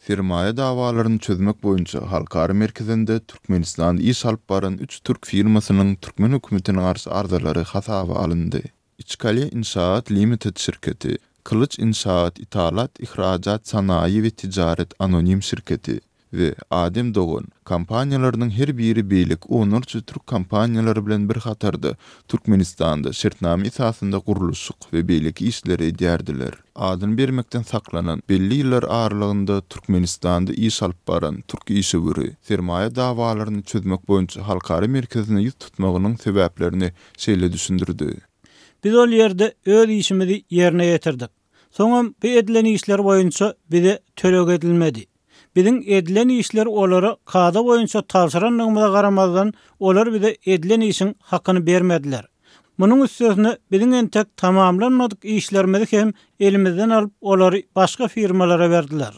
Sermaýa dawalaryny çözmek boýunça halkara merkezinde Türkmenistanda iş alyp baran üç türk firmasynyň türkmen hökümetine garşy arzalary hasaba alyndy. Içkale Inşaat Limited şirketi, Kylyç Inşaat Ithalat Ihracat Sanayi we Ticaret Anonim şirketi we Adem Dogan kompaniýalarynyň her biri beýleki onlarça türk kompaniýalary bilen bir hatarda Türkmenistanda şertnama esasynda gurluşyk we beýleki işleri edýärdiler. Adyny bermekden saklanan, belli ýyllar aralygynda Türkmenistanda iş alyp baran türk işewüri, sermaýa dawalaryny çözmek boýunça halkara merkezine ýüz tutmagynyň sebäplerini şeýle düşündirdi. Biz ol ýerde öz işimizi ýerine ýetirdik. Soňam bu edilen işler boýunça bize töleg edilmedi. Biziň edilen işleri olara kada boýunça tabşyrandygymyza garamazdan, olar bize edilen işiň hakyny bermediler. Munuň üstesine biziň entek tamamlanmadyk işlerimizi hem elimizden alyp, olary başga firmalara berdiler.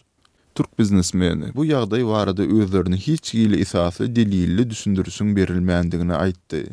Türk biznesmeni bu ýagdaý barada özlerine hiç hili esasly delilli düşündirişiň berilmändigini aýtdy.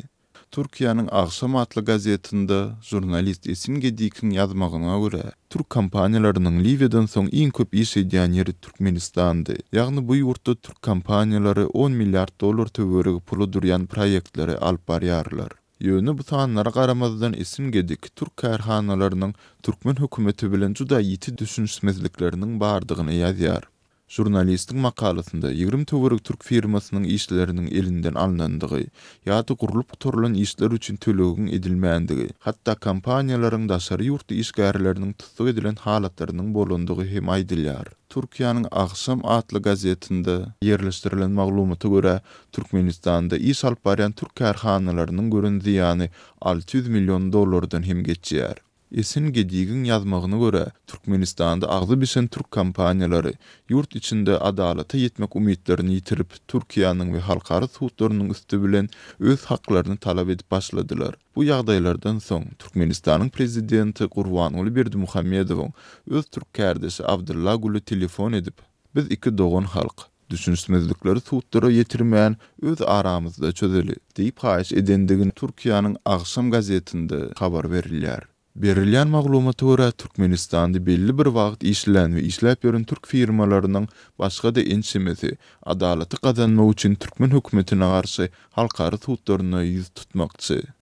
Türkiýäniň Agşam atly gazetinde žurnalist Esin Gedikiň ýazmagyna görä, türk kompaniýalarynyň Liwiýadan soň iň köp iş edýän ýeri Türkmenistandy. Ýagny bu ýurtda türk kompaniýalary on milliard dollar töweregi pula durýan proýektleri alyp barýarlar. Ýöne bu sanlara garamazdan Esin Gedik türk kärhanalarynyň türkmen hökümeti bilen juda ýiti düşünişmezlikleriniň bardygyny ýazýar. Žurnalistiň makalasynda 20 töweregi türk firmasynyň işleriniň elinden alnandygy ýa-da gurlup gutarylan işler üçin tölegiň edilmändigi, hatda kompaniýalaryň daşary ýurtly işgärleriniň tussag edilen halatlarynyň bolandygy hem aýdylýar. Türkiýäniň Agşam atly gazetinde ýerleşdirilen maglumata görä, Türkmenistanda iş alyp barýan türk kärhanalarynyň gören zyýany 600 million dollardan hem geçýär. Esin Gedigiň ýazmagyna görä, Türkmenistanda agzy bişen türk kompaniýalary ýurt içinde adalata ýetmek umytlaryny ýitirip, Türkiýäniň we halkara sudlarynyň üsti bilen öz haklaryny talap edip başladylar. Bu ýagdaýlardan soň, Türkmenistanyň prezidenti Gurbanguly Berdimuhamedowyň öz türk kärdeşi Abdylla Güle telefon edip, Biz iki dogan halk. Düşünişmezlikleri sudlara ýetirmän, öz aramyzda çözeli diýip haýyş edendigini Türkiýäniň Agşam gazetinde habar berilýär. Berilýän maglumata görä, Türkmenistanda belli bir wagt işlän we işläp ýören türk firmalarynyň başga-da ençemesi adalaty gazanmak üçin türkmen hökümetine garşy halkara sudlaryna ýüz tutmakçy.